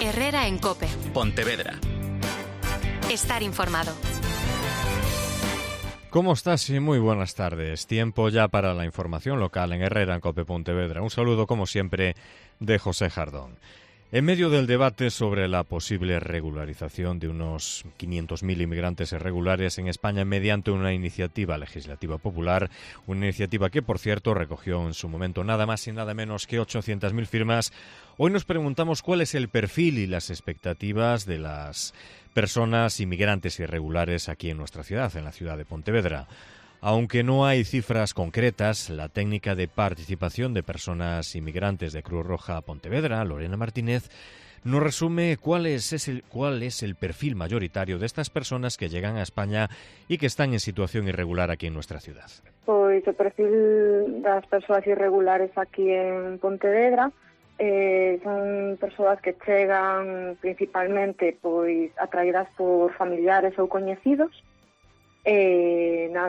Herrera en COPE. Pontevedra. Estar informado. ¿Cómo estás? Y muy buenas tardes. Tiempo ya para la información local en Herrera en COPE Pontevedra. Un saludo, como siempre, de José Jardón. En medio del debate sobre la posible regularización de unos 500.000 inmigrantes irregulares en España mediante una iniciativa legislativa popular, una iniciativa que, por cierto, recogió en su momento nada más y nada menos que 800.000 firmas, hoy nos preguntamos cuál es el perfil y las expectativas de las personas inmigrantes irregulares aquí en nuestra ciudad, en la ciudad de Pontevedra. Aunque no hay cifras concretas, la técnica de participación de personas inmigrantes de Cruz Roja Pontevedra, Lorena Martínez, nos resume cuál es el perfil mayoritario de estas personas que llegan a España y que están en situación irregular aquí en nuestra ciudad. Pois o perfil das persoas irregulares aquí en Pontevedra son persoas que chegan principalmente pois atraídas por familiares ou coñecidos.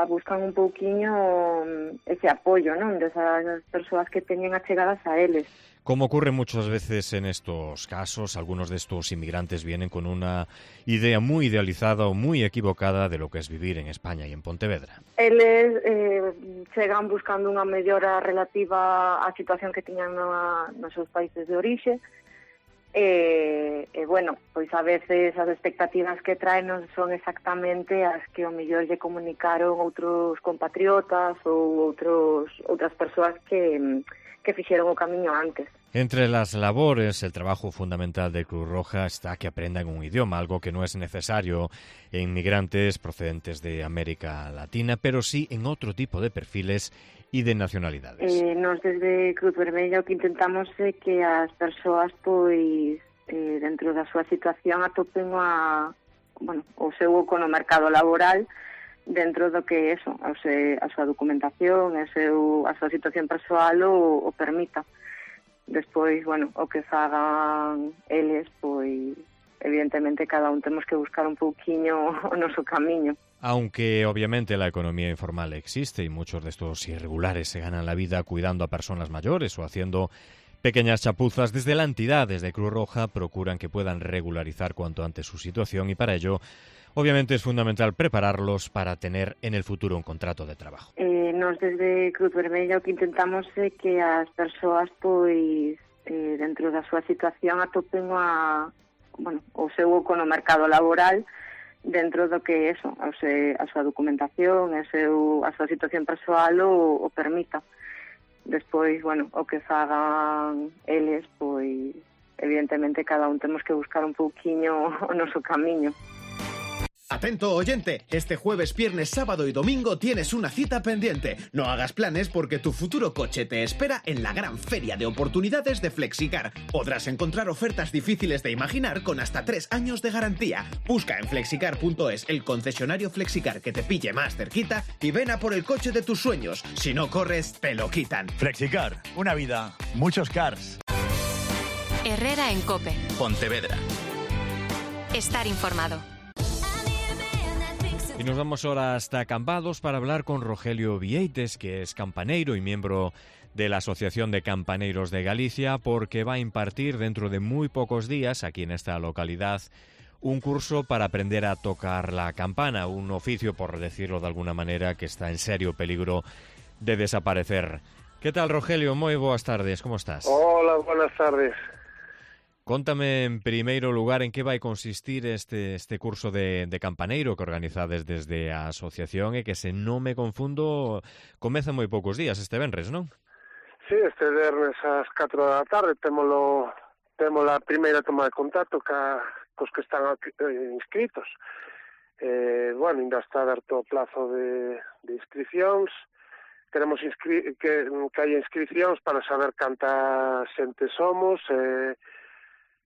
Buscan un pouquiño ese apoio, non, desas persoas que teñen achegadas a eles. Como ocurre muchas veces en estos casos, algunos de estos inmigrantes vienen con una idea muy idealizada o muy equivocada de lo que es vivir en España y en Pontevedra. Eles chegan buscando unha mellora relativa á situación que tiñan nos seus países de orixe. Pois a veces as expectativas que traen non son exactamente as que ao mellor lle comunicaron outros compatriotas ou outras persoas que fixeron o camiño antes. Entre las labores, el trabajo fundamental de Cruz Roja está que aprendan un idioma, algo que no es necesario en inmigrantes procedentes de América Latina, pero sí en otro tipo de perfiles e de nacionalidades. Nos desde Cruz Vermella o que intentamos é que as persoas pois dentro da súa situación atopen o seu oco no mercado laboral dentro do que a súa documentación, a súa situación persoal o permita. Despois, o que fagan eles, pois evidentemente cada un temos que buscar un pouquiño o noso camiño. Aunque obviamente la economía informal existe y muchos de estos irregulares se ganan la vida cuidando a personas mayores o haciendo pequeñas chapuzas, desde la entidad, desde Cruz Roja, procuran que puedan regularizar cuanto antes su situación y para ello, obviamente, es fundamental prepararlos para tener en el futuro un contrato de trabajo. Nos desde Cruz Vermella o que intentamos é que as persoas pois dentro da súa situación atopen o seu oco no mercado laboral dentro do que a súa documentación, a súa situación persoal o permita. Despois, o que fagan eles, pois evidentemente cada un temos que buscar un pouquiño o noso camiño. Atento oyente, este jueves, viernes, sábado y domingo tienes una cita pendiente. No hagas planes porque tu futuro coche te espera en la gran feria de oportunidades de Flexicar. Podrás encontrar ofertas difíciles de imaginar con hasta 3 años de garantía. Busca en flexicar.es el concesionario Flexicar que te pille más cerquita y ven a por el coche de tus sueños. Si no corres, te lo quitan. Flexicar, una vida, muchos cars. Herrera en COPE. Pontevedra. Estar informado. Y nos vamos ahora hasta Cambados para hablar con Rogelio Vieites, que es campaneiro y miembro de la Asociación de Campaneiros de Galicia, porque va a impartir dentro de muy pocos días, aquí en esta localidad, un curso para aprender a tocar la campana, un oficio, por decirlo de alguna manera, que está en serio peligro de desaparecer. ¿Qué tal, Rogelio? Moi boas tardes, como estás? Hola, buenas tardes. Contame en primeiro lugar en que vai consistir este curso de campaneiro que organizades desde a asociación e que, se non me confundo, comeza moi poucos días este venres, non? Sí, este venres ás 4 da tarde temos a primeira toma de contacto cos que están inscritos. Ainda está aberto o plazo de inscricións. Queremos que haya inscricións para saber canta xente somos,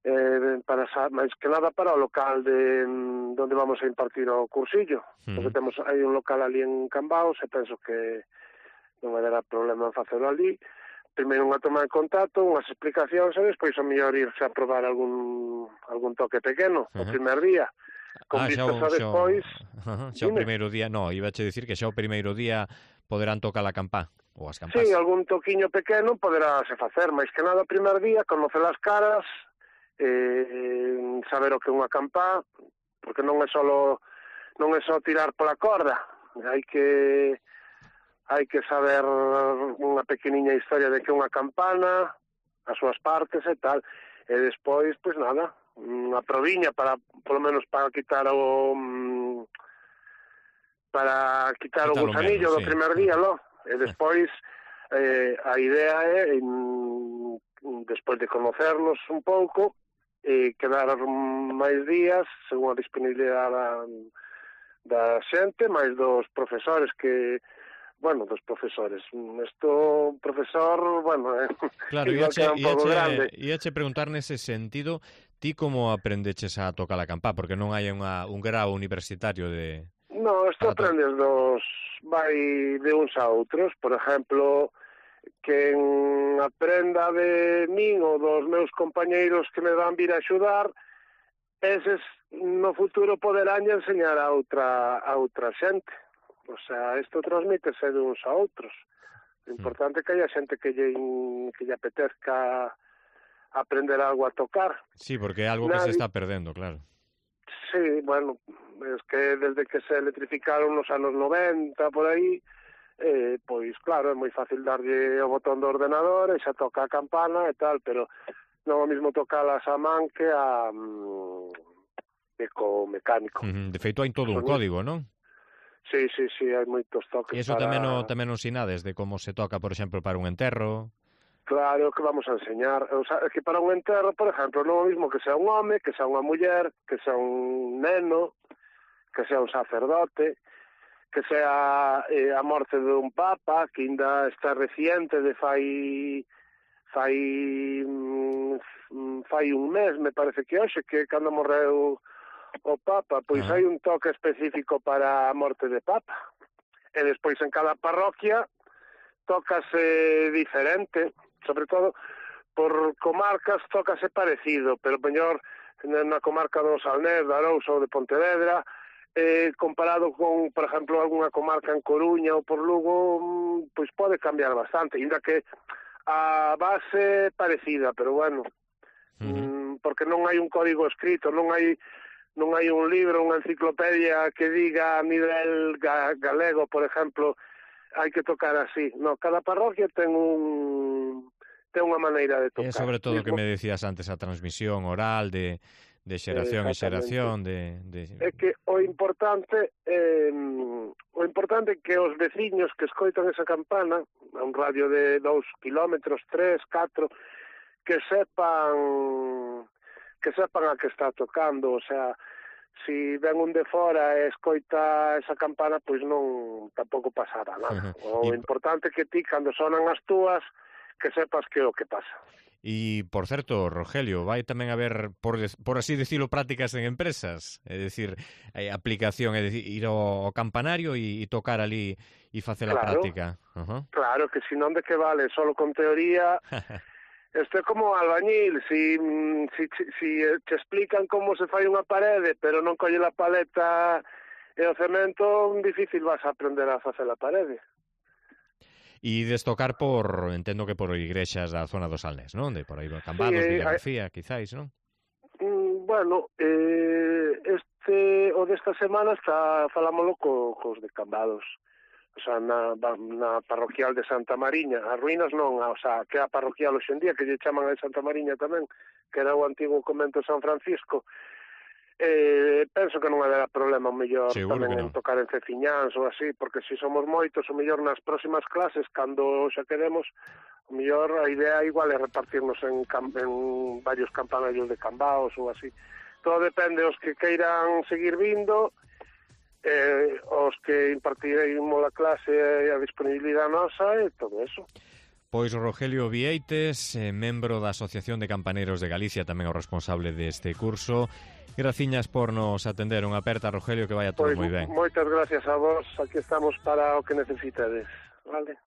máis que nada para o local donde vamos a impartir o cursillo, porque hai un local ali en Cambados e penso que non vai dar problema en facelo ali. Primeiro unha toma de contacto, unhas explicacións e despois o mellor irse a probar algún toque pequeno o primer día. Con vistas a despois... Xa o primeiro día, ibache dicir que xa o primeiro día poderán tocar a campá. Ou as campás. Sí, algún toquiño pequeno poderase facer, máis que nada o primer día, conocer as caras saber o que é unha campá, porque non é só tirar pola corda, hai que saber unha pequeniña historia de que é unha campana, as súas partes e tal, e despois, pois nada, unha proviña polo menos para quitar o gusanillo do primer día, lo. E despois a idea é despois de conocernos un pouco quedar máis días según a disponibilidade da xente, máis dos profesores profesor, claro, iache preguntar nese sentido, ti como aprendeches a tocar a campá, porque non hai un grau universitario de... No, isto aprendes vai de uns a outros, por exemplo, quen aprenda de min ou dos meus compañeiros que me van vir a axudar, eses no futuro poderán enseñar a outra xente. O sea, isto transmítese de uns a outros. O importante é que haya xente que lle apetezca aprender algo a tocar. Sí, porque é algo que se está perdendo, claro. Sí, bueno, es que desde que se electrificaron nos anos 90, por aí, pois claro, é moi fácil darlle o botón do ordenador e xa toca a campana e tal, pero non o mismo tocalas a man que co mecánico. De feito, hai todo un código, non? Sí, hai moitos toques. E iso tamén non sinades de como se toca, por exemplo, para un enterro? Claro, que vamos a enseñar. O sea, é que para un enterro, por exemplo, non é o mismo que sea un home, que sea unha muller, que sea un neno, que sea un sacerdote, que sea a morte dun papa, que ainda está reciente de fai un mes, me parece que hoxe, que cando morreu o papa, pois hai un toque específico para a morte de papa. E despois en cada parroquia tócase diferente, sobre todo por comarcas tócase parecido, pero mellor na comarca do Salnés, de Arousa ou de Pontevedra, comparado con, por exemplo, algunha comarca en Coruña ou por Lugo, pois pode cambiar bastante, ainda que a base parecida, pero bueno, porque non hai un código escrito, non hai un libro, unha enciclopedia que diga a nivel galego, por exemplo, hai que tocar así. No, cada parroquia ten unha maneira de tocar. E sobre todo o que me decías antes, a transmisión oral de xeración en xeración, É que o importante é que os veciños que escoitan esa campana, a un radio de 2 kilómetros, 3, 4, que sepan a que está tocando, o sea, si ven un de fora e escoita esa campana, pois non tampouco pasará nada. O importante é que ti, cando sonan as túas, que sepas que é o que pasa. E, por certo, Rogelio, vai tamén haber, por así decirlo, prácticas en empresas? É dicir, aplicación, é dicir, ir ao campanario e tocar ali e facer a práctica. Claro, que si non de que vale, solo con teoría... Isto é como albañil, si te explican como se fai unha parede, pero non colle a paleta e o cemento, difícil vas a aprender a facer a parede. E destocar entendo que por igrexas da zona do Salnés, non? De por aí Cambados, Villagarcía, quizáis, non? Bueno, o desta semana falámoslo cos de Cambados. O sea, na parroquial de Santa Mariña, as ruínas non, o sea, que é a parroquial hoxe en día, que lle chaman a Santa Mariña tamén, que era o antigo convento de San Francisco. Penso que non haberá problema o mellor tamén en tocar en Ceciñáns ou así, porque se somos moitos, o mellor nas próximas clases, cando xa queremos, o mellor a idea igual é repartirnos en varios campanarios de Cambaos ou así. Todo depende os que queiran seguir vindo, os que impartiremos a clase e a disponibilidade nosa e todo eso. Pois Rogelio Vieites, membro da Asociación de Campaneiros de Galicia, tamén o responsable deste curso. Graciñas por nos atender. Unha aperta, Rogelio, que vaya todo moi ben. Moitas gracias a vos, aquí estamos para o que necesitades, vale?